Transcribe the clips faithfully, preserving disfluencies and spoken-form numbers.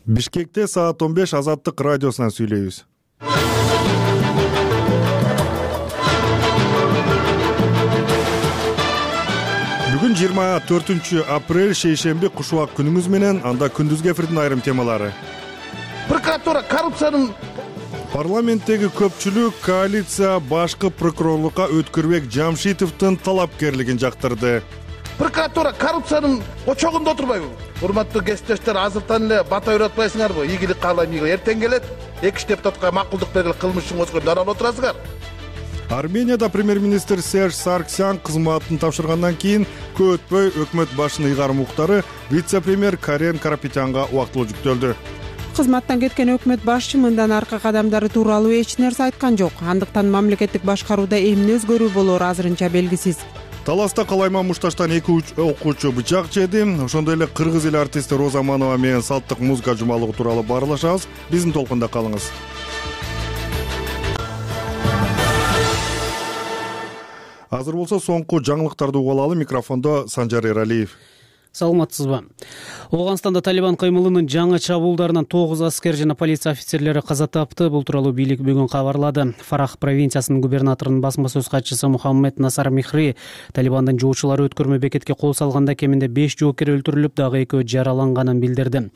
Бишкекте саат он беш Азаттык радиосунан сүйлөйбүз. Бүгүн жыйырма төртүнчү апрель шейшемби кушубак күнүңүз менен, анда күндүзгү эфирдин айрым темалары. Прокуратура коррупциянын Парламенттеги көпчүлүк коалиция башкы прокурорлукка Өткүрбек Жамшитовдун талапкерлигин жактырды. Прокуратура коррупциянын очогунда отурбайбы? Урматтуу кесиптештер, азыртан эле бата үйрөтпайсыңарбы? Ийгилик каалайм, ийгилик. Эртең келет, эки депутатка макулдук бергиле кылмышыңызга дарал отурасыңар. Арменияда премьер-министр Серж Сарксян кызматын тапшыргандан кийин көп өтпөй өкмөт башынын ыйгарым уктары вице-премьер Карен Карапетянга убактылуу жүктөлдү. Кызматтан кеткен өкмөт башчы мындан аркы кадамдары тууралуу эч нерсе айткан жок. Андыктан мамлекеттик башкарууда эмне өзгөрүү болоору азырынча белгисиз. Таласта Калайма Мушташтан эки окуучу бычак жеди. Ошондой эле кыргыз эл артисти Роза Манова менен салттык музыка жумалыгы тууралуу баарлашабыз. Биздин толкунда калыңыз. Азыр болсо соңку жаңылыктарды угуп алалы. Микрофондо Санжар Эралиев. Саламатсызбы? Ооганстанда Талибан кыймылынын жаңы чабуулдарынан тогуз аскер жана полиция офицерлери каза тапты. Бул тууралуу бийлик бүгүн кабарлады. Фарах провинциясынын губернаторунун басма сөз катчысы Мухаммед Насар Михри Талибандын жоочулары өткөрмө бекетке кол салганда кеминде беш жоокер өлтүрүлүп, дагы экөө жараланганын билдирди.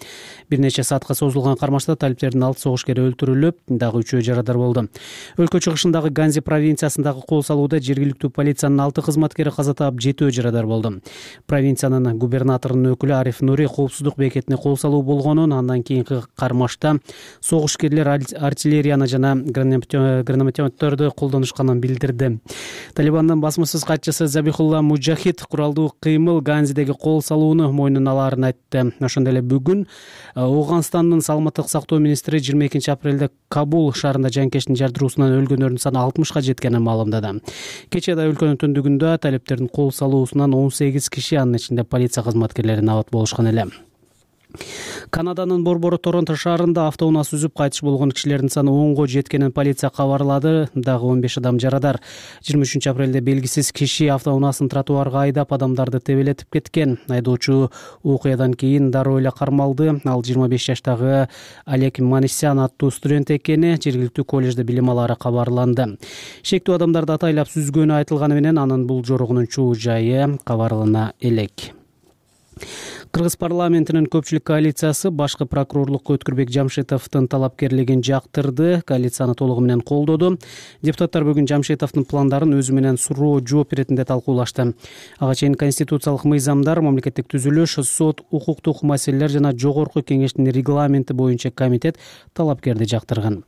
Бир нече саатка созулган кармашта талиптердин алты согушкери өлтүрүлүп, дагы үчөө жарадар болду. Өлкө чыгышындагы Ганзи провинциясындагы кол салууда жергиликтүү полициянын алты кызматкери каза таап, жетөө жарадар болду. Провинциянын губернаторунун өкүлү Ариф Нури коопсуздук бекетине кол салуу болгонун, андан кийинки кармашта согушкерлер артиллерияны жана гранатометторду колдонушканын билдирди. Талибандын басма сөз катчысы Забихулла Муджахид куралдуу кыймыл Ганзидеги кол салууну мойнуна алаарын айтты. Ошондой эле бүгүн Ооганстандын саламаттык сактоо министри жыйырма экинчи апрелде Кабул шаарында жанкештин жардыруусунан өлгөндөрдүн саны алтымышка жеткенин маалымдады. Кечээ да өлкөнүн түндүгүндө талиптердин кол салуусунан он сегиз киши, анын ичинде полиция кызматкерлери набат болушкан эле. Канаданын Борбору Торонто шаарында автоунаа сүзүп кайтыш болгон кишилердин саны онго жеткенин полиция кабарлады. Дагы он беш адам жарадар. жыйырма үчүнчү апрелде белгисиз киши автоунаасын тротуарга айдап, адамдарды тебелетип кеткен. Айдоочу окуядан кийин дароо эле кармалды. Ал жыйырма беш жаштагы Олег Манисян аттуу студент экени жергиликтүү коллежде билим алары кабарланды. Шектүү адамдарды атайлап сүзгөнү айтылганы менен анын бул жорогунун чоо жайы кабарлана элек. Кыргыз парламентинин көпчүлүк коалициясы башкы прокурорлукка Өткүрбек Жамшитовдун талапкерлигин жактырды. Коалицияны толугу менен колдоду. Депутаттар бүгүн Жамшитовдун пландарын өзү менен суроо жооп иретинде талкуулашты. Ага чейин конституциялык мыйзамдар, мамлекеттик түзүлүш, сот, укуктук маселелер жана жогорку кеңештин регламенти боюнча комитет талапкерди жактырган.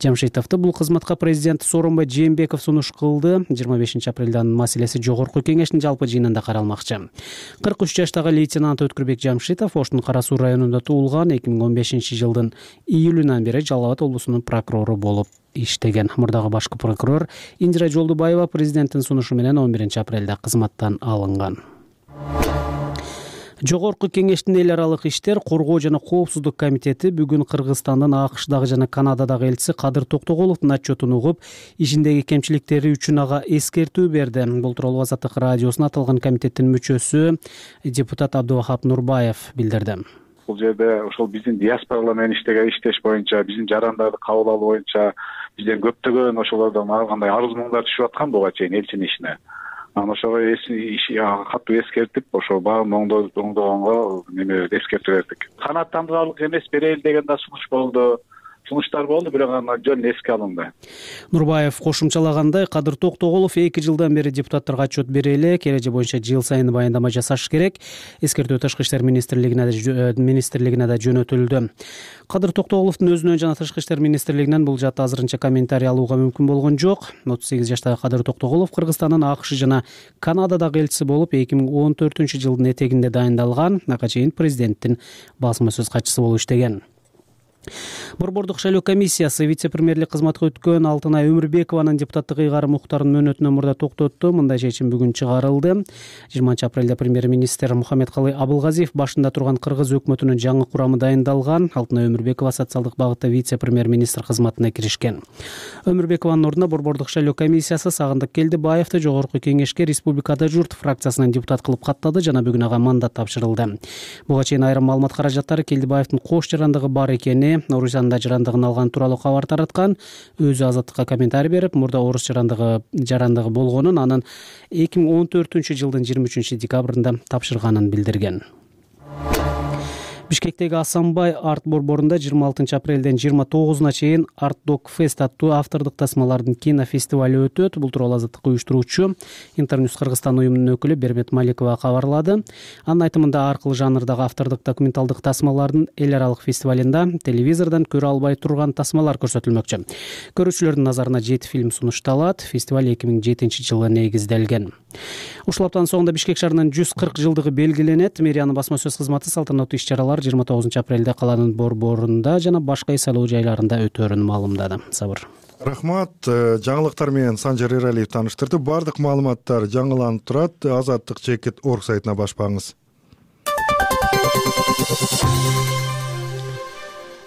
Жамшитовду бул кызматка президент Сооронбай Жээнбеков сунуш кылды. жыйырма бешинчи апрелде анын маселеси жогорку кеңештин жалпы жыйынында каралмакчы. кырк үч жаштагы лейтенант Өткүрбек Жамшитов Оштун Кара Суу районунда туулган. эки миң он бешинчи жылдын июлүнөн бери Жалал Абад облусунун прокурору болуп иштеген. Мурдагы башкы прокурор Индира Жолдубаева президенттин сунушу менен он биринчи апрелде кызматтан алынган. Жогорку кеңештин эл аралык иштер, коргоо жана коопсуздук комитети бүгүн Кыргызстандын АКШдагы жана Канададагы элчиси Кадыр Токтоголовдун отчетун угуп, ишиндеги кемчиликтери үчүн ага эскертүү берди. Бул тууралуу Азаттык радиосуна аталган комитеттин мүчөсү депутат Абдувахап Нурбаев билдирди. Бул жерде ошол биздин диаспоралар менен иштеген иштеш боюнча, биздин жарандарды кабыл алуу боюнча бизден көптөгөн ошолордон ар кандай арыз муңдар түшүп аткан буга чейин элчинин ишине. Анан ошого катуу эскертип, ошо баарын оңдогонго неме эскертүү бердик. Канааттандырарлык эмес берели деген да сунуш болду. Сунуштар болду, бирок аны жөн эске алынды. Нурбаев кошумчалагандай, Кадыр Токтоголов эки жылдан бери депутаттарга отчет бере элек, эреже боюнча жыл сайын баяндама жасаш керек. Эскертүү Тышкы иштер министрлигине министрлигине да жөнөтүлдү. Кадыр Токтоголовдун өзүнөн жана Тышкы иштер министрлигинен бул жаатта азырынча комментарий алууга мүмкүн болгон жок. отуз сегиз жаштагы Кадыр Токтоголов Кыргызстандын АКШ жана Канададагы элчиси болуп эки миң он төртүнчү жылдын этегинде дайындалган. Ага чейин президенттин басма сөз катчысы болуп иштеген. Борбордук шайлоо комиссиясы вице-премьерлик кызматка өткөн Алтынай Өмүрбекованын депутаттык ыйгары Мухтардын мөөнөтүнөн мурда токтотту. Мындай чечим бүгүн чыгарылды. жыйырманчы апрелде премьер-министр Мухаммедкалый Абылгазиев башында турган кыргыз өкмөтүнүн жаңы курамы дайындалган. Алтынай Өмүрбекова социалдык багытта вице-премьер-министр кызматына киришкен. Өмүрбекованын ордуна Борбордук шайлоо комиссиясы Сагындык Келдибаевди Жогорку Кеңешке Республикада журт фракциясынан депутат кылып каттады жана бүгүн ага мандат тапшырылды. Буга чейин айрым маалымат каражаттары Келдибаевдин кош жарандыгы бар экени, орус янында жарандыгын алган тууралуу кабар тараткан. Өзү Азаттыкка комментарий берип, мурда орус жарандыгы жарандыгы болгонун, анын эки миң он төртүнчү жылдын жыйырма үчүнчү декабрында тапшырганын билдирген. Бишкектеги Асанбай арт борборунда жыйырма алтынчы апрелден жыйырма тогузуна чейин Арт Док Фест аттуу автордук тасмалардын кинофестивали өтөт. Бул тууралуу Азаттыкка уюштуруучу Интерньюс Кыргызстан уюмунун өкүлү Бермет Маликова кабарлады. Анын айтымында ар кыл жанрдагы автордук документалдык тасмалардын эл аралык фестивалында телевизордон көрө албай турган тасмалар көрсөтүлмөкчү. Көрүүчүлөрдүн назарына жети фильм сунушталат. Фестиваль эки миң жетинчи жылы негизделген. Ушул аптанын соңунда Бишкек шаарынын жүз кырк жылдыгы белгиленет. Мэриянын басма сөз кызматы салтанаттуу иш-чаралар жыйырма тогузунчу апрелде каланын борборунда жана башка шайлоо жайларында өтөөрүн маалымдады. Сабыр. Рахмат. Жаңылыктар менен Санжар Эралиев тааныштырды. Бардык маалыматтар жаңыланып турат. Азаттык чекит орг сайтына баш багыңыз.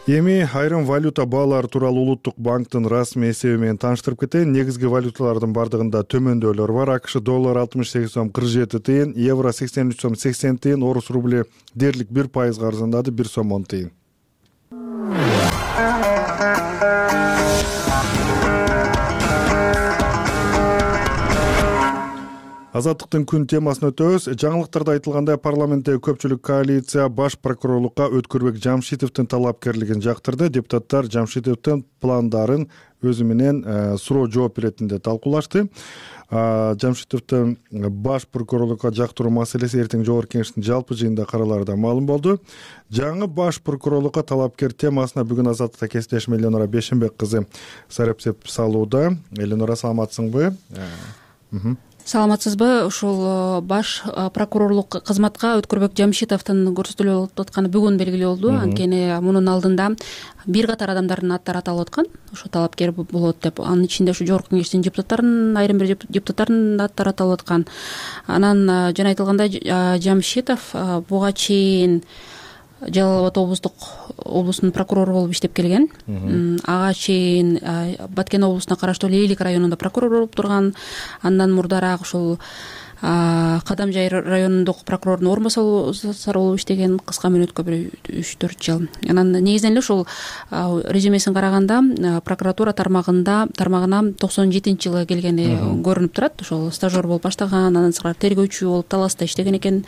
Эми айрым валюта баалары тууралуу Улуттук банктын расмий эсеби менен тааныштырып кетейин. Негизги валюталардын бардыгында төмөндөөлөр бар. АКШ доллар алтымыш сегиз сом кырк жети тыйын, евро сексен үч сом сексен тыйын, орус рубли дээрлик бир пайызга арзандады, бир сом он тыйын. Азаттыктын күн темасына өтөбүз. Жаңылыктарда айтылгандай, парламенттеги көпчүлүк коалиция баш прокурорлукка Өткөрбек Жамшитовдун талапкерлигин жактырды. Депутаттар Жамшитовдун пландарын өзү менен суроо жооп иретинде талкуулашты. Жамшитовдун баш прокурорлукка жактыруу маселеси эртең Жогорку Кеңештин жалпы жыйынында каралаарда маалым болду. Жаңы баш прокурорлукка талапкер темасына бүгүн Азаттыкта кесиптешим Эленора Бешенбек кызы сарапсеп салууда. Эленора, саламатсыңбы? Саламатсызбы? Ушул баш прокурорлук кызматка Өткөрбек Жамшитовдун көрсөтүлүп атканы бүгүн белгилүү болду. Анткени мунун алдында бир катар адамдардын аттары аталып аткан. Ошо талапкер болот деп. Анын ичинде ушу Жогорку Кеңештин депутаттарынын, айрым бир депутаттардын аттары аталып аткан. Анан жана айтылгандай, Жамшитов буга чейин Жалал Абад облустук облустун прокурору болуп иштеп келген. Ага чейин Баткен облусуна караштуу Лейлик районунда прокурор болуп турган. Андан мурдараак ушул Кадамжай районундук прокурордун орун басары болуп иштеген, кыска мөөнөткө бир үч төрт жыл. Анан негизинен эле ушул резюмесин караганда прокуратура тармагында тармагына токсон жетинчи жылы келгени көрүнүп турат. Ошол стажер болуп баштаган, андан сырткары тергөөчү болуп Таласта иштеген экен.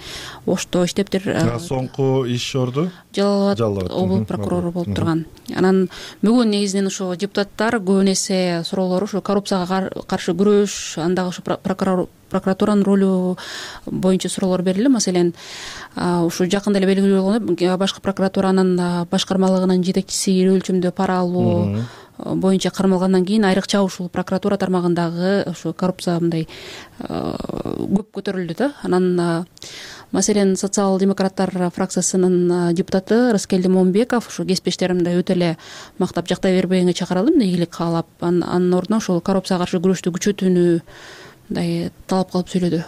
Ошто иштептир. Соңку иш орду Жалал Абад облус прокурору болуп турган. Анан бүгүн негизинен ушул депутаттар көбүн эсе суроолору ушу коррупцияга каршы күрөш, андагы ушу прокурор прокуратуранын ролу боюнча суроолор берилди. Маселен, ушу жакында эле белгилүү болгондой, башкы прокуратуранын башкармалыгынын жетекчиси ири өлчөмдө пара алуу боюнча кармалгандан кийин айрыкча ушул прокуратура тармагындагы ушу коррупция мындай көп көтөрүлдү да. Анан маселен социал-демократтар фракциясынын депутаты Рыскелди Момбеков ушу кесиптештеримди өтө эле мактап жактай бербегенге чакырылдым, ийгилик каалап. Анын ордуна ушул коррупцияга каршы күрөштү күчөтүүнү мындай талап кылып сүйлөдү.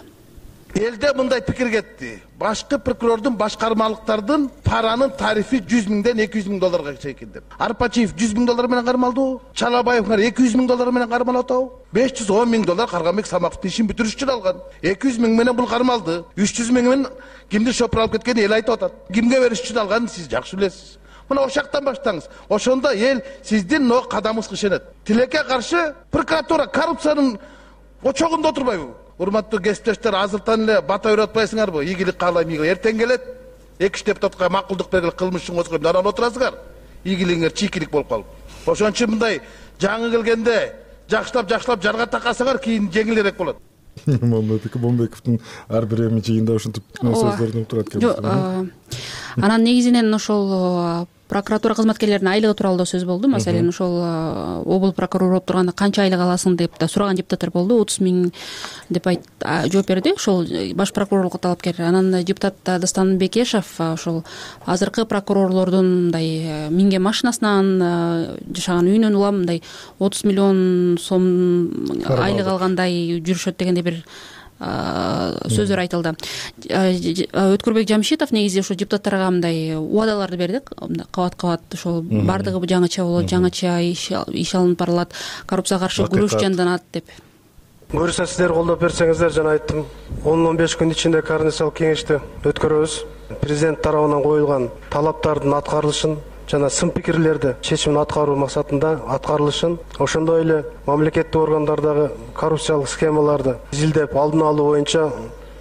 Элде мындай пикир кетти. Башкы прокурордун башкармалыктардын паранын тарифи жүз миңден эки жүз миң долларга чейин деп. Арпачиев жүз миң доллар менен кармалды. Чалабаевдер эки жүз миң доллар менен кармалып атабы? беш жүз он миң доллар Карганбек Самаковдун ишин бүтүрүш үчүн алган. эки жүз миң менен бул кармалды. үч жүз миң менен кимди шопур алып кеткени эл айтып атат. Кимге бериш үчүн алганын сиз жакшы билесиз. Мына ошактан баштаңыз. Ошондо эл сиздин но кадамыңызга ишенет. Тилекке каршы прокуратура коррупциянын очогунда отурбайбы? Урматтуу кесиптештер, азыртан эле бата үйрөтпайсыңарбы? Ийгилик каалайм, ийгилик. Эртең келет, эки үч депутатка макулдук бергиле кылмыш үчүн козгоюп даран отурасыңар. Ийгилигиңер чийкилик болуп калып. Ошон үчүн мындай жаңы келгенде жакшылап-жакшылап жарга такасаңар, кийин жеңилирээк болот. Момбековдун ар бир эми жыйында ушинтип сөздөрүн турат экен. Анан негизинен ошол прокуратура кызматкерлеринин айлыгы тууралуу да сөз болду. Маселен, ошол облус прокурору болуп турганда канча айлык аласың деп да сураган депутаттар болду. отуз миң деп айт жооп берди ошол баш прокурорлукка талапкер. Анан депутат Дастан Бекешев ошол азыркы прокурорлордун мындай минген машинасынан жашаган үйүнөн улам мындай отуз миллион сом айлык алгандай жүрүшөт дегендей бир сөздөр айтылды. Өткүрбек Жамшитов негизи ошо депутаттарга мындай убадаларды берди. Кабат кабат ошол бардыгы жаңыча болот, жаңыча иш алынып барылат, коррупцияга каршы күрөш жанданат деп. Буюрса сиздер колдоп берсеңиздер, жана айттым, он он беш күн ичинде координациялык кеңешти өткөрөбүз. Президент тарабынан коюлган талаптардын аткарылышын жана сын пикирлерди чечимин аткаруу максатында аткарылышын, ошондой эле мамлекеттик органдардагы коррупциялык схемаларды изилдеп алдын алуу боюнча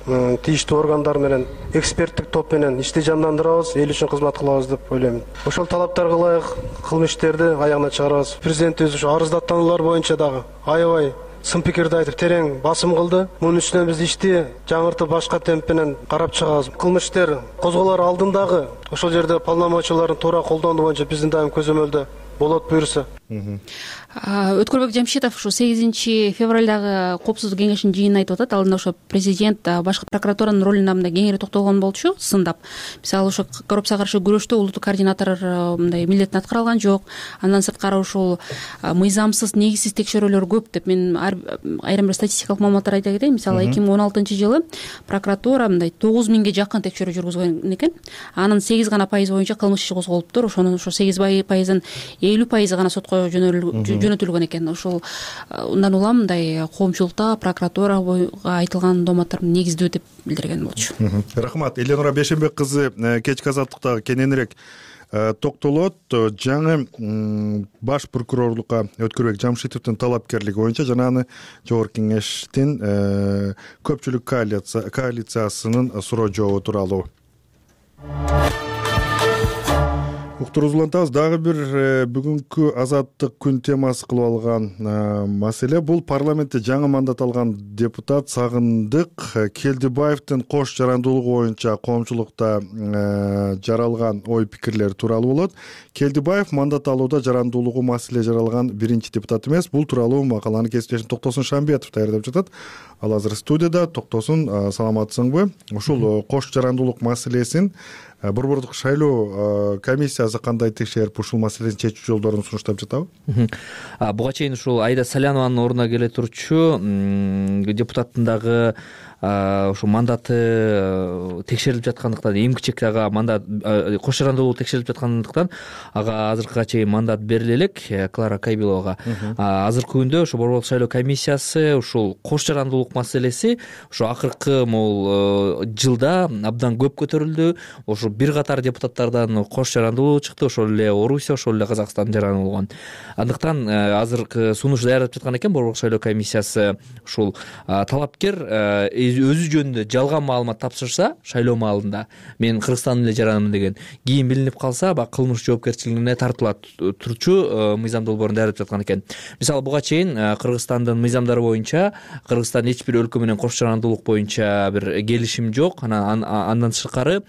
тийиштүү органдар менен эксперттик топ менен ишти жандандырабыз, эл үчүн кызмат кылабыз деп ойлойм. Ошол талаптарга ылайык кылмыштерди аягына чыгарабыз. Президентибиз ошо арыздаттануулар боюнча дагы аябай сын пикирди айтып терең басым кылды. Мунун үстүнө биз ишти жаңыртып башка темп менен карап чыгабыз. Кылмыштер козголор алдындагы ошол жерде полномочияларын туура колдонуу боюнча биздин дайым көзөмөлдө болот буюрса. Өткүрбек Жамшитов ушу сегизинчи февралдагы коопсуздук кеңешинин жыйынын айтып атат. Алында ошо президент башкы прокуратуранын ролуна мындай кеңири токтолгон болчу, сындап. Мисалы ошо коррупцияга каршы күрөштө улуттук координатор мындай милдетин аткара алган жок. Андан сырткары ушул мыйзамсыз, негизсиз текшерүүлөр көп деп мен айрым бир статистикалык маалыматтар айта кетейин. Мисалы эки миң он алтынчы жылы прокуратура мындай тогуз миңге жакын текшерүү жүргүзгөн экен. Анын сегиз гана пайыз боюнча кылмыш иши козголуптур. Ошонун ошо сегиз пайызын элүү пайызы гана сотко жөнөтүлгөн экен. Ошол ундан улам мындай коомчулукта прокуратурага айтылган дооматтар негиздүү деп билдирген болчу. Рахмат. Эленора Бешенбек кызы кечки азаттыкта кененирээк токтолот. Жаңы баш прокурорлукка Өткүрбек Жамшитовдун талапкерлиги боюнча жана аны жогорку кеңештин көпчүлүк коалициясынын суроо жообу тууралуу уктуруусун улантабыз. Дагы бир бүгүнкү азаттык күн темасы кылып алган маселе бул парламентте жаңы мандат алган депутат Сагындык Келдибаевдин кош жарандуулугу боюнча коомчулукта жаралган ой пикирлери тууралуу болот. Келдибаев мандат алууда жарандуулугу маселе жаралган биринчи депутат эмес. Бул тууралуу макаланы кесиптешим Токтосун Шамбетов даярдап жатат. Ал азыр студияда. Токтосун, саламатсыңбы? Ушул кош жарандуулук маселесин Борбордук шайлоо комиссиясы кандай текшерип ушул маселени чечүү жолдорун сунуштап жатабы? Буга чейин ушул Айда Салянованын ордуна келе турчу депутаттын дагы ошо мандаты текшерилип жаткандыктан, эми-кичек ага мандат кош жарандуулугу текшерилип жаткандыктан ага азыркыга чейин мандат бериле элек Клара Кайбиловага. Азыркы күндө ошо Борбордук шайлоо комиссиясы ушул кош жарандуулук маселеси ошо акыркы могул жылда абдан көп көтөрүлдү. Ошо бир катар депутаттардан кош жарандуулугу чыкты, ошол эле Орусия, ошол эле Казакстан жарандуулган. Андыктан азыркы сунуш даярдап жаткан экен Борбордук шайлоо комиссиясы. Ушул талапкер өзү жөнүндө жалган маалымат тапшырса шайлоо маалында мен Кыргызстандын эле жаранымын деген, кийин билинип калса баягы кылмыш жоопкерчилигине тартылат турчу мыйзам долбоорун даярдап жаткан экен. Мисалы буга чейин Кыргызстандын мыйзамдары боюнча Кыргызстан эч бир өлкө менен кош жарандуулук боюнча бир келишим жок. Анан андан сырткары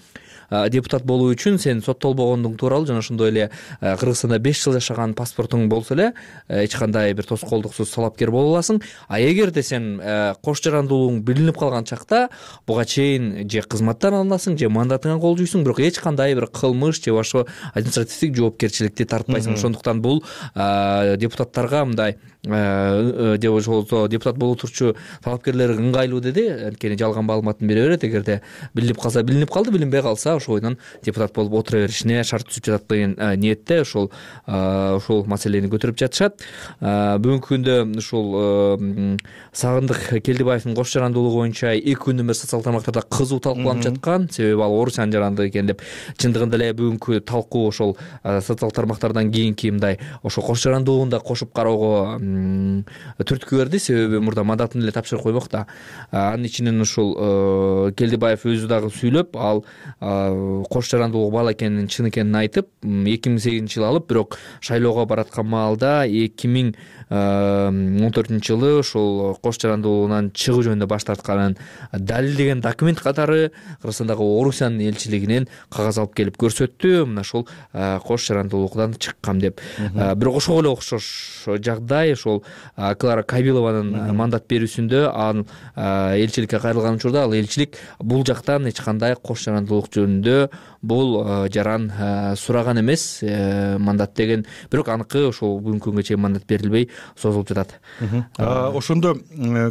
депутат болуу үчүн сен соттолбогондуң тууралуу жана ошондой эле Кыргызстанда беш жыл жашаган паспортуң болсо эле эч кандай бир тоскоолдуксуз талапкер боло аласың. А эгерде сен кош жарандуулугуң билинип калган чакта буга чейин же кызматтан алынасың, же мандатыңа кол жуйсуң, бирок эч кандай бир кылмыш же башка административдик жоопкерчиликти тартпайсың. Ошондуктан бул депутаттарга мындай же ошол депутат боло турчу талапкерлерге ыңгайлуу деди. Анткени жалган маалыматын бере берет. Эгерде билинип калса билинип калды, билинбей калса ошойдон депутат болуп отура беришине шарт түзүп жатат деген ниетте ошол ошол маселени көтөрүп жатышат. Бүгүнкү күндө ушул Сагындык Келдибаевдин кош жарандуулугу боюнча эки күндөн бери социалдык тармактарда кызуу талкууланып жаткан. Себеби ал Орусиянын жарандыгы экен деп. Чындыгында эле бүгүнкү талкуу ошол социалдык тармактардан кийинки мындай ошол кош жарандуулугун да кошуп кароого түрткү берди. Себеби мурда мандатын эле тапшырып коймок да. Анын ичинен ушул Келдибаев өзү дагы сүйлөп, ал кош жарандуулук бала экенин чын экенин айтып эки миң сегизинчи жылы алып, бирок шайлоого бараткан маалда эки миң он төртүнчү жылы ошол кош жарандуулугунан чыгуу жөнүндө баш тартканын далилдеген документ катары Кыргызстандагы Орусиянын элчилигинен кагаз алып келип көрсөттү. Мына ошол кош жарандуулуктан чыккам деп. Бирок ошого эле окшош жагдай ошол Клара Кабилованын мандат берүүсүндө анын элчиликке кайрылган учурда ал элчилик бул жактан эч кандай кош жарандуулук жөнүндө бул жаран сураган эмес мандат деген, бирок аныкы ошол бүгүнкү күнгө чейин мандат берилбей созулуп жатат. Ошондо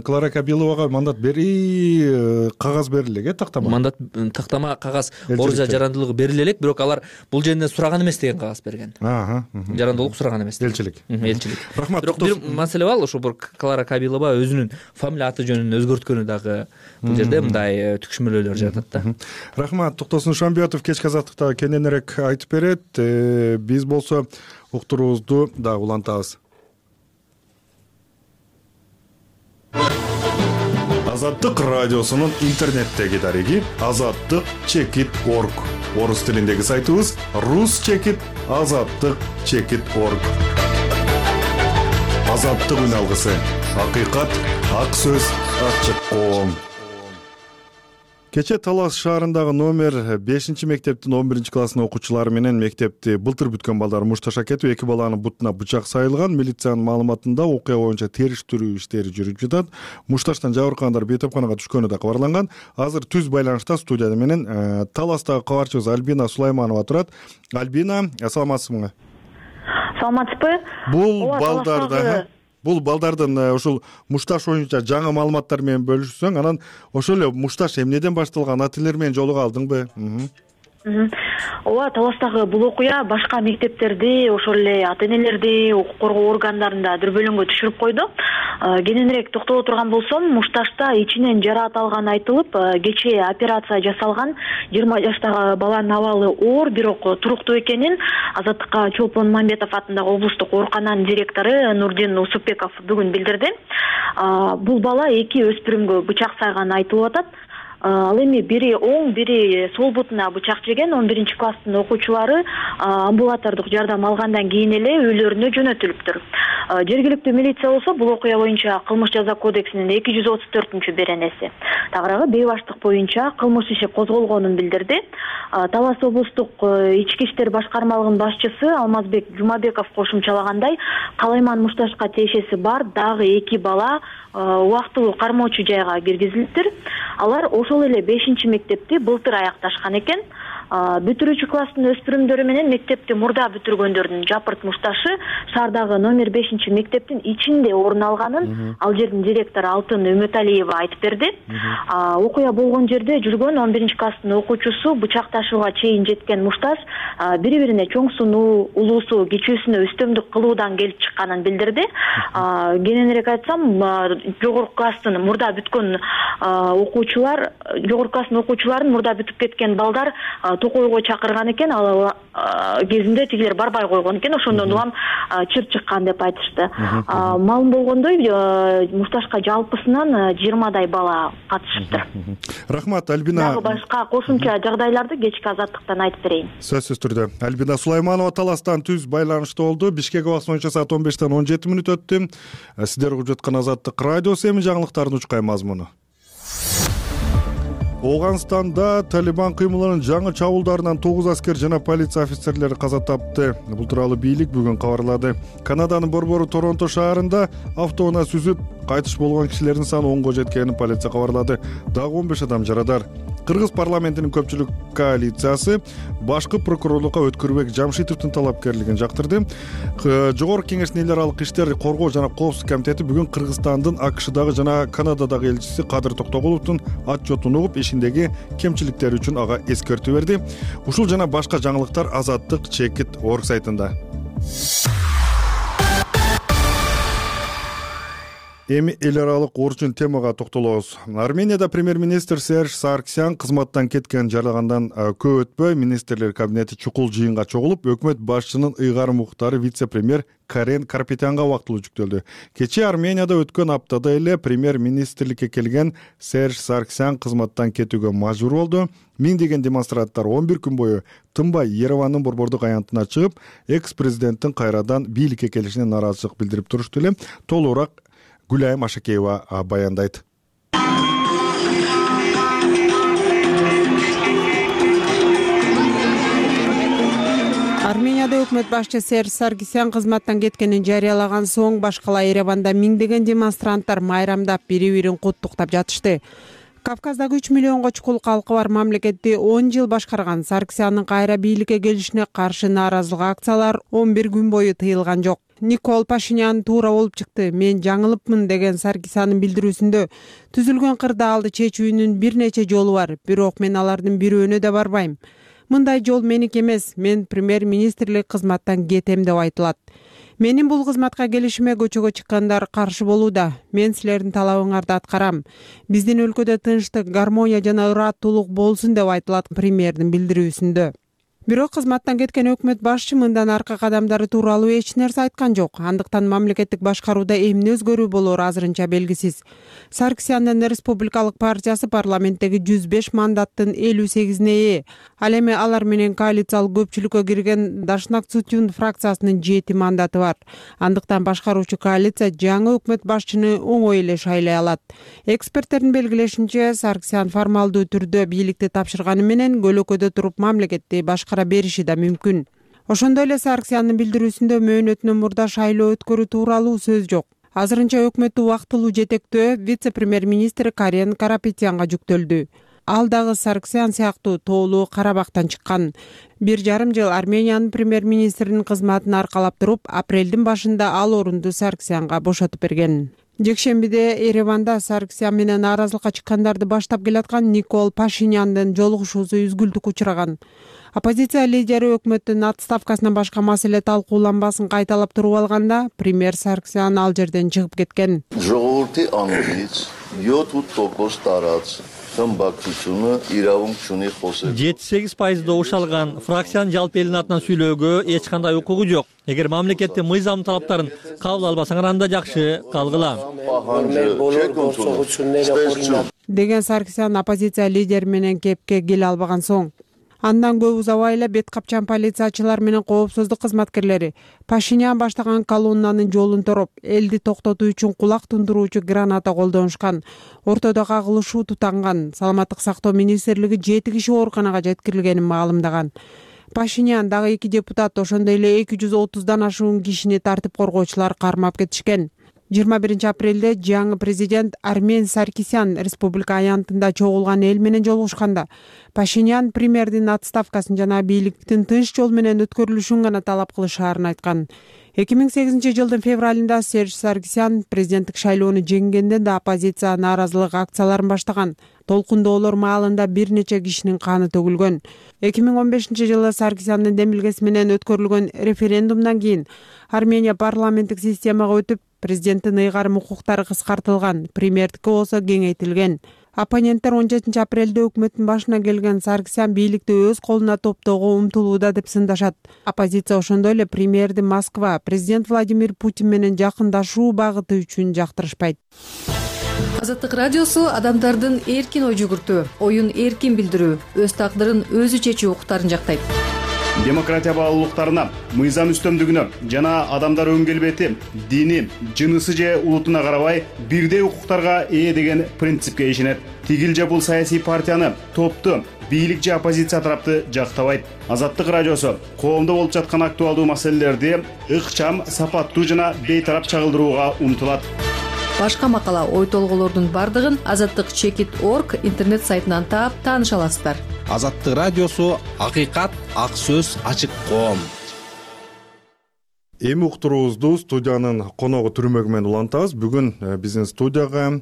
Клара Кабиловага мандат бери кагаз бериле элек, тактама мандат тактама кагаз Орусия жарандуулугу бериле элек, бирок алар бул жерде сураган эмес деген кагаз берген. Жарандуулук сураган эмес элчилик. Элчилик. Рахмат. Бирок бир маселе бар, ошо бир Клара Кабилова өзүнүн фамилия аты жөнүн өзгөрткөнү дагы бул жерде мындай түкшмөлөөлөр жатат да. Рахмат. Токтосун Шамбиятов кечки азаттыкта кененирээк айтып берет. Биз болсо уктуруубузду дагы улантабыз. Азаттык радиосунун интернеттеги дареги азаттык чекит точка орг. Орус тилиндеги сайтыбыз рус чекит азаттык чекит точка орг. Азаттык үн алгысы. Акыйкат, ак сөз, ачык коом. Кече Талас шаарындагы номер бешинчи мектептин он биринчи класстын окуучулары менен мектепти былтыр бүткөн балдар мушташа кетип, эки баланын бутуна бычак сайылган. Милициянын маалыматында окуя боюнча териштирүү иштери жүрүп жатат. Мушташтан жабыркагандар бейтапканага түшкөнү да кабарланган. Азыр түз байланышта студияда менен Таластагы кабарчыбыз Альбина Сулайманова турат. Альбина, саламатсызбы? Саламатсызбы? Бул балдарды Бул балдардын ушул мушташ боюнча жаңы маалыматтар менен бөлүшсөң, анан ошол эле мушташ эмнеден башталган, ата энелер менен жолуга алдыңбы? Ооба, Таластагы бул окуя башка мектептерди, ошол эле ата энелерди, укук коргоо органдарын да дүрбөлөңгө түшүрүп койду. Кененирээк токтоло турган болсом, мушташта ичинен жараат алганы айтылып, кечээ операция жасалган. жыйырма жаштагы баланын абалы оор, бирок туруктуу экенин Азаттыкка Чолпон Мамбетов атындагы облустук оорукананын директору Нурдин Усупбеков бүгүн билдирди. Бул бала эки өспүрүмгө бычак сайганы айтылып атат. Ал эми бири оң, бири сол бутуна бычак жеген. он биринчи класстын окуучулары амбулатордук жардам алгандан кийин эле үйлөрүнө жөнөтүлүптүр. Жергиликтүү милиция болсо бул окуя боюнча кылмыш жаза кодексинин эки жүз отуз төртүнчү беренеси тагыраагы бейбаштык боюнча кылмыш иши козголгонун билдирди. Талас облустук ички иштер башкармалыгынын башчысы Алмазбек Жумабеков кошумчалагандай, Калайман мушташка тиешеси бар дагы эки бала убактылуу кармоочу жайга киргизилиптир. Алар ошол эле бешинчи мектепти былтыр аякташкан экен. Бүтүрүүчү класстын өспүрүмдөрү менен мектепти мурда бүтүргөндөрдүн жапырт мушташы шаардагы номер бешинчи мектептин ичинде орун алганын ал жердин директору Алтын Өмөталиева айтып берди. Окуя болгон жерде жүргөн он биринчи класстын окуучусу бычак ташууга чейин жеткен мушташ бири-бирине чоң сунуу, улуусу, кичүүсүнө үстөмдүк кылуудан келип чыкканын билдирди. Кененирээк айтсам, жогорку класстын мурда бүткөн окуучулар, жогорку класстын окуучуларын мурда бүтүп кеткен балдар токойго чакырган экен, ал кезинде тигилер барбай койгон экен, ошондон улам чыр чыккан деп айтышты. Маалым болгондой, мушташка жалпысынан жыйырмадай бала катышыптыр. Рахмат, Альбина. Дагы башка кошумча жагдайларды кечки азаттыктан айтып берейин. Сөзсүз түрдө. Альбина Сулайманова Таластан түз байланышта болду. Бишкек убакыты боюнча саат он бештен он жети мүнөт өттү. Сиздер угуп жаткан Азаттык радиосу эми жаңылыктардын учкай мазмуну. Оганстанда Талибан кыймылынын жаңы чабуулдарынан тогуз аскер жана полиция офицерлери каза тапты. Бул тууралуу бийлик бүгүн кабарлады. Канаданын борбору Торонто шаарында автоунаа сүзүп кайтыш болгон кишилердин саны онго жеткенин полиция кабарлады. Дагы он беш адам жарадар. Кыргыз парламентинин көпчүлүк коалициясы башкы прокурорлукка Өткөрбек Жамшитовдун талапкерлигин жактырды. Жогорку кеңештин эл аралык иштер коргоо жана коопсуздук комитети бүгүн Кыргызстандын АКШдагы жана Канададагы элчиси Кадыр Токтогуловдун отчетун угуп, ишиндеги кемчиликтер үчүн ага эскертүү берди. Ушул жана башка жаңылыктар азаттык чекит точка орг сайтында. Эми эл аралык орчун темага токтолобуз. Арменияда премьер-министр Серж Саркисян кызматтан кеткен жарагандан көп өтпөй министрлер кабинети чукул жыйынга чогулуп, өкмөт башчынын ыйгарым уктары вице-премьер Карен Карапетянга убактылуу жүктөлдү. Кечээ Арменияда өткөн аптада эле премьер-министрликке келген Серж Саркисян кызматтан кетүүгө мажбур болду. Миңдеген демонстранттар он бир күн бою тынбай Еревандын борбордук аянтына чыгып, экс-президенттин кайрадан бийликке келишине нааразычылык билдирип турушту эле. Толугураак Гүлайым Ашакеева баяндайт. Арменияда өкмөт башчы Серж Саркисян кызматтан кеткенин жарыялаган соң башкала Ереванда миңдеген демонстранттар майрамдап бири-бирин куттуктап жатышты. Кавказдагы үч миллионго чукул калкы бар мамлекетти он жыл башкарган Саркисяндын кайра бийликке келишине каршы нааразылык акциялар он бир күн бою тыйылган жок. Никол Пашинян туура болуп чыкты, мен жаңылыпмын деген Саркисяндын билдирүүсүндө түзүлгөн кырдаалды чечүүнүн бир нече жолу бар, бирок мен алардын бирөөнө да барбайм. Мындай жол меники эмес, мен премьер-министрлик кызматтан кетем деп айтылат. Менин бул кызматка келишиме көчөгө чыккандар каршы болууда. Мен силердин талабыңарды аткарам. Биздин өлкөдө тынчтык, гармония жана ыраттуулук болсун деп айтылат премьердин билдирүүсүндө. Бирок кызматтан кеткен өкмөт башчы мындан аркы кадамдары тууралуу эч нерсе айткан жок. Андыктан мамлекеттик башкарууда эмне өзгөрүү болору азырынча белгисиз. Саркисяндын Республикалык партиясы парламенттеги жүз беш мандаттын элүү сегизине ээ. Ал эми алар менен коалициялык көпчүлүккө кирген Дашнак Цутюн фракциясынын жети мандаты бар. Андыктан башкаруучу коалиция жаңы өкмөт башчыны оңой эле шайлай алат. Эксперттердин белгилешинче, Саркисян формалдуу түрдө бийликти тапшырганы менен көлөкөдө туруп мамлекетти башкара бериши да мүмкүн. Ошондой эле Саркисяндын билдирүүсүндө мөөнөтүнөн мурда шайлоо өткөрүү тууралуу сөз жок. Азырынча өкмөттү убактылуу жетектөө вице-премьер-министр Карен Карапетянга жүктөлдү. Ал дагы Саркисян сыяктуу тоолуу Карабактан чыккан. Бир жарым жыл Армениянын премьер-министринин кызматын аркалап туруп, апрелдин башында ал орунду Саркисянга бошотуп берген. Жекшембиде Ереванда Саркисян менен нааразылыкка чыккандарды баштап келаткан Никол Пашиняндын жолугушуусу үзгүлтүккө учураган. Оппозиция лидери өкмөттүн отставкасынан башка маселе талкууланбасын кайталап туруп алганда, премьер Саркисян ал жерден чыгып кеткен. Ժողովրդի անունից յոթ տոկոս տարած խմբակցությունը իրավունք չունի խոսել. жети сегиз пайыз добуш алган фракциянын жалпы элдин атынан сүйлөөгө эч кандай укугу жок. Эгер мамлекеттин мыйзам талаптарын кабыл албасаңар, анда жакшы, калгыла. Деген Саркисян оппозиция лидери менен кепке келе албаган соң. Андан көп узабай эле бет капчан полициячылар менен коопсуздук кызматкерлери Пашинян баштаган колоннанын жолун тороп, элди токтотуу үчүн кулак тундуруучу граната колдонушкан. Ортодо кагылышуу тутанган. Саламаттык сактоо министрлиги жети киши ооруканага жеткирилгенин маалымдаган. Пашинян дагы эки депутат, ошондой эле эки жүз отуздан ашуун кишини тартип коргоочулар кармап кетишкен. жыйырма биринчи апрелде жаңы президент Армен Саркисян республика аянтында чогулган эл менен жолугушканда, Пашинян премьердин отставкасын жана бийликтин тынч жол менен өткөрүлүшүн гана талап кылышаарын айткан. эки миң сегизинчи жылдын февралында Серж Саркисян президенттик шайлоону жеңгенде да оппозиция нааразылык акцияларын баштаган. Толкундоолор маалында бир нече кишинин каны төгүлгөн. эки миң он бешинчи жылы Саркисяндын демилгеси менен өткөрүлгөн референдумдан кийин Армения парламенттик системага өтүп, президенттин ыйгарым укуктары кыскартылган, премьердики болсо кеңейтилген. Оппоненттер он жетинчи апрелде өкмөттүн башына келген Саркисян бийликти өз колуна топтоого умтулууда деп сындашат. Оппозиция ошондой эле премьерди Москва, президент Владимир Путин менен жакындашуу багыты үчүн жактырышпайт. Азаттык радиосу адамдардын эркин ой жүгүртүү, оюн эркин билдирүү, өз тагдырын өзү чечүү укуктарын жактайт. Демократия баалуулуктарына, мыйзам үстөмдүгүнө жана адамдар өң келбети, дини, жынысы же улутуна карабай бирдей укуктарга ээ деген принципке ишенет. Тигил же бул саясий партияны, топту, бийлик же оппозиция тарапты жактабайт. Азаттык радиосу коомдо болуп жаткан актуалдуу маселелерди ыкчам, сапаттуу жана бейтарап чагылдырууга умтулат. Башка макала, ой толголордун бардыгын азаттык чекит точка орг интернет сайтынан таап тааныша аласыздар. Азаттык радиосу акыйкат, ак сөз, ачык коом. Эми уктуруубузду студиянын коногу Түрмөгү менен улантабыз. Бүгүн биздин студияга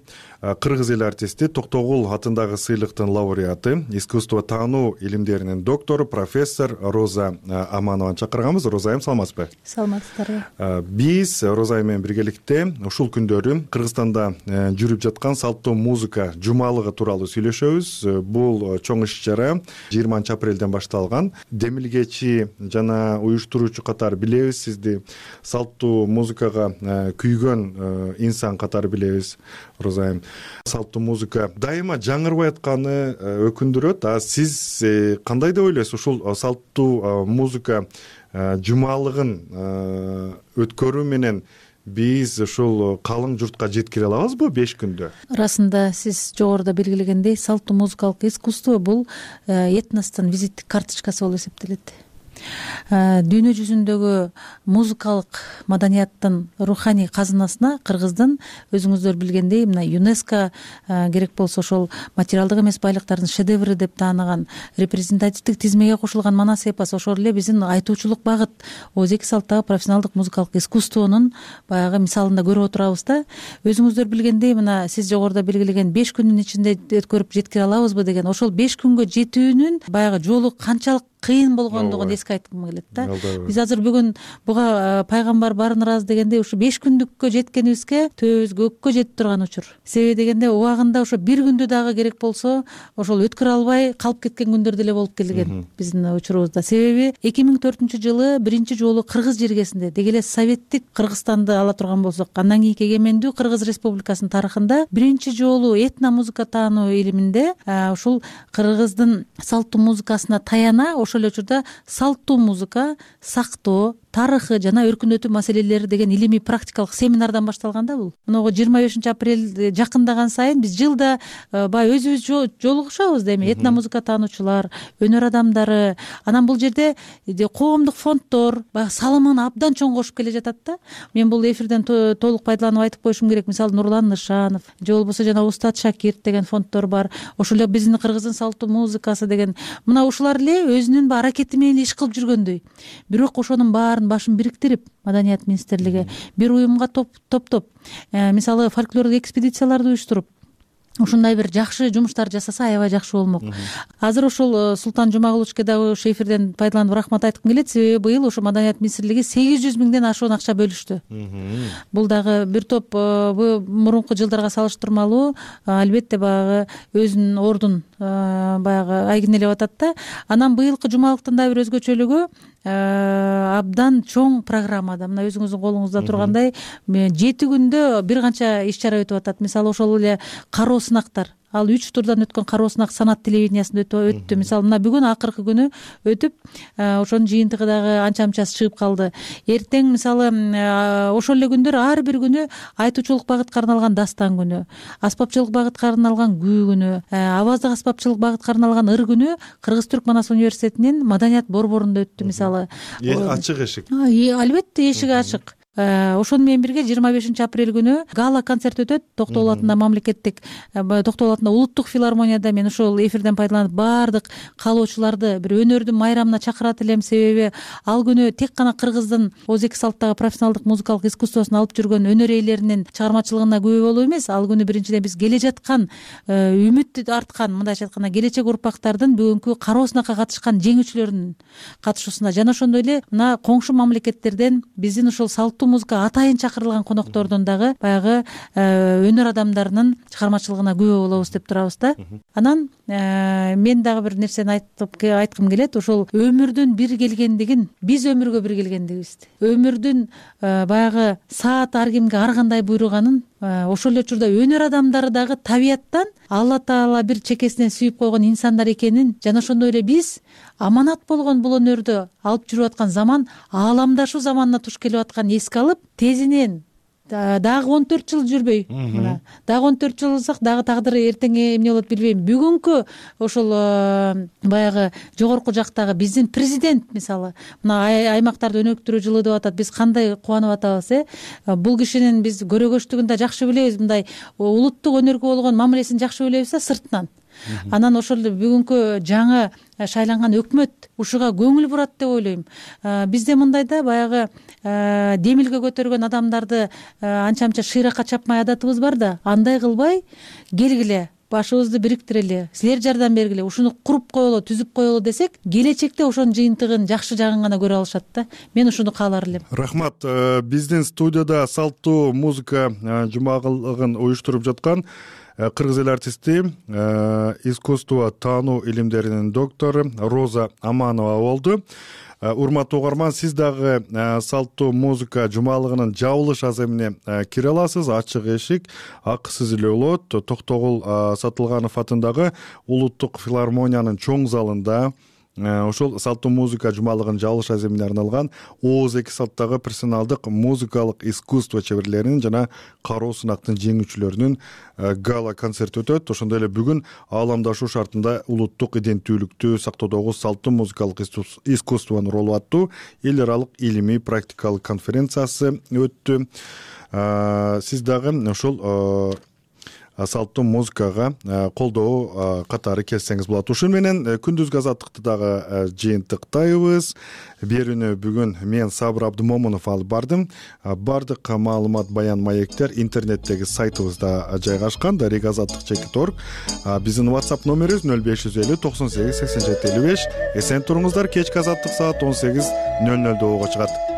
кыргыз эл артисти Токтогул атындагы сыйлыктын лауреаты, искусство таануу илимдеринин доктору, профессор Роза Аманованы чакырганбыз. Роза айым, саламатсызбы? Саламатсыздарбы. Биз Роза айым менен биргеликте ушул күндөрү Кыргызстанда жүрүп жаткан салттуу музыка жумалыгы тууралуу сүйлөшөбүз. Бул чоң иш-чара жыйырманчы апрелден башталган. Демилгечи жана уюштуруучу катары билебиз сизди. Салттуу музыкага күйгөн инсан катары билебиз, Роза айым. Салттуу музыка дайыма жаңырбай атканы өкүндүрөт. А сиз кандай деп ойлойсуз? Ушул салттуу музыка жумалыгын өткөрүү менен биз ушул калың журтка жеткире алабызбы беш күндө? Арасында сиз жогоруда белгилегендей, салттуу музыкалык искусство бул этностун визиттик карточкасы болуп эсептелет. Дүйнө жүзүндөгү музыкалык маданияттын руханий казынасына Кыргыздын, өзүңүздөр билгендей, мына ЮНЕСКО керек болсо ошол материалдык эмес байлыктардын шедевры деп тааныган репрезентативдик тизмеге кошулган манас эпос, ошол эле биздин айтуучулук багыт ооз эки салттагы профессионалдык музыкалык искусствонун баягы мисалында көрүп отурабыз да. Өзүңүздөр билгендей, мына сиз жогоруда белгилеген беш күндүн ичинде өткөрүп жеткире алабызбы деген, ошол беш күнгө жетүүнүн баягы жолу канчалык кыйын болгондугун эске айткым келет да. Биз азыр бүгүн буга пайгамбар барын ыраазы дегендей ушу беш күндүккө жеткенибизге төбөбүз көккө жетип турган учур. Себеби дегенде убагында ошо бир күндү дагы керек болсо ошол өткөрө албай калып кеткен күндөр деле болуп келген биздин учурубузда. Себеби эки миң төртүнчү жылы биринчи жолу кыргыз жергесинде, деги эле советтик Кыргызстанды ала турган болсок, андан кийинки эгемендүү Кыргыз Республикасынын тарыхында биринчи жолу этно музыка таануу илиминде ушул кыргыздын салттуу музыкасына таяна ошол эле учурда салттуу музыка сактоо тарыхы жана өркүндөтүү маселелери деген илимий практикалык семинардан башталган да бул. Мынагу жыйырма бешинчи апрель жакындаган сайын биз жылда баягы өзүбүз жолугушабыз да, эми этно музыка таануучулар, өнөр адамдары. Анан бул жерде коомдук фонддор баягы салымын абдан чоң кошуп келе жатат да. Мен бул эфирден толук пайдаланып айтып коюшум керек. Мисалы Нурлан Нышанов же болбосо жана Устат Шакирт деген фонддор бар. Ошол эле биздин Кыргыздын салттуу музыкасы деген. Мына ушулар эле өзүнүн аракети менен иш кылып жүргөндөй. Бирок ошонун баарын башын бириктирип, Маданият министрлиги бир уюмга топтоп, мисалы фольклордук экспедицияларды уюштуруп, ушундай бир жакшы жумуштар жасаса аябай жакшы болмок. Азыр ушул Султан Жумагуловичке дагы ошо эфирден пайдаланып рахмат айткым келет. Себеби быйыл ошо Маданият министрлиги сегиз жүз миңден ашуун акча бөлүштү. Бул дагы бир топ мурунку жылдарга салыштырмалуу албетте баягы өзүнүн ордун баягы айгинелеп атат да. Анан быйылкы жумалыктын да бир өзгөчөлүгү абдан чоң программада, мына өзүңүздүн колуңузда тургандай жети күндө бир канча иш-чара өтүп атат. Мисалы ошол эле кароо сынактар, ал үч турдан өткөн кароо сынак санат телевидениясында өттү. Мисалы мына бүгүн акыркы күнү өтүп, ошонун жыйынтыгы дагы анча-мынчасы чыгып калды. Эртең мисалы ошол эле күндөр ар бир күнү айтуучулук багытка арналган дастан күнү, аспапчылык багытка арналган күү күнү, аваздык аспапчылык багытка арналган ыр күнү Кыргыз-Түрк Манас университетинин Маданият борборунда өттү. Мисалы ачык эшик. Албетте эшиги ачык. Ошону менен бирге жыйырма бешинчи апрель күнү гала концерт өтөт Токтогул атында мамлекеттик, Токтогул атында улуттук филармонияда. Мен ошол эфирден пайдаланып баардык каалоочуларды бир өнөрдүн майрамына чакырат элем. Себеби ал күнү тек гана Кыргыздын ооз эки салттагы профессионалдык музыкалык искусствосун алып жүргөн өнөр ээлеринин чыгармачылыгына күбө болуу эмес, ал күнү биринчиден биз келе жаткан үмүт арткан, мындайча айтканда келечек урпактардын бүгүнкү кароо сынакка катышкан жеңүүчүлөрүнүн катышуусунда жана ошондой эле мына коңшу мамлекеттерден биздин ушул салттуу музыка атайын чакырылган коноктордун дагы баягы өнөр адамдарынын чыгармачылыгына күбө болобуз деп турабыз да. Анан мен дагы бир нерсени айтып айткым келет. Ошол өмүрдүн бир келгендигин, биз өмүргө бир келгендигибизди, өмүрдүн баягы саат ар кимге ар кандай буйруганын, ошол эле учурда өнөр адамдары дагы табияттан Алла Таала бир чекесинен сүйүп койгон инсандар экенин жана ошондой эле биз аманат болгон бул өнөрдү алып жүрүп аткан заман ааламдашуу заманына туш келип атканын эске алып, тезинен дагы он төрт жыл жүрбөй, мына дагы он төрт жыл болсок дагы тагдыры эртең эмне болот билбейм. Бүгүнкү ошол баягы жогорку жактагы биздин президент мисалы мына аймактарды өнүктүрүү жылы деп атат. Биз кандай кубанып атабыз, э? Бул кишинин биз көрөгөчтүгүн да жакшы билебиз, мындай улуттук өнөргө болгон мамилесин жакшы билебиз да сыртынан. анан ошол эле бүгүнкү жаңы шайланган өкмөт ушуга көңүл бурат деп ойлойм. Бизде мындай да баягы демилге көтөргөн адамдарды анча мынча шыйракка чапмай адатыбыз бар да, андай кылбай келгиле, башыбызды бириктирели, силер жардам бергиле, ушуну куруп коелу, түзүп коелу десек, келечекте ошонун жыйынтыгын, жакшы жагын гана көрө алышат да. Мен ушуну каалар элем. Рахмат. Биздин студияда салттуу музыка жумагылыгын уюштуруп жаткан кыргыз эл артисти, искусство таануу илимдеринин доктору Роза Аманова болду. Урматтуу угарман, сиз дагы салттуу музыка жумалыгынын жабылыш аземине кире аласыз. Ачык эшик, акысыз эле болот. Токтогул Сатылганов атындагы улуттук филармониянын чоң залында ошол салттуу музыка жумалыгынын жабылыш аземине арналган Ооз эки салттагы персоналдык музыкалык искусство чеберлеринин жана кароо сынактын жеңүүчүлөрүнүн гала концерти өтөт. Ошондой эле бүгүн ааламдашуу шартында улуттук иденттүүлүктү сактоодогу салттуу музыкалык искусствонун ролу аттуу эл аралык илимий практикалык конференциясы өттү. Сиз дагы ошол салттуу музыкага колдоо катары келсеңиз болот. Ушун менен күндүзгү азаттыкты дагы жыйынтыктайбыз. Берүүнү бүгүн мен Сабыр Абдымомунов алып бардым. Бардык маалымат, баян, маектер интернеттеги сайтыбызда жайгашкан, дарек азаттык чекит точка орг. Биздин WhatsApp номерибиз нөл беш жүз элүү токсон сегиз сексен жети элүү беш. Эсен туруңуздар. Кечки азаттык саат он сегиз нөл нөлдө ого чыгат.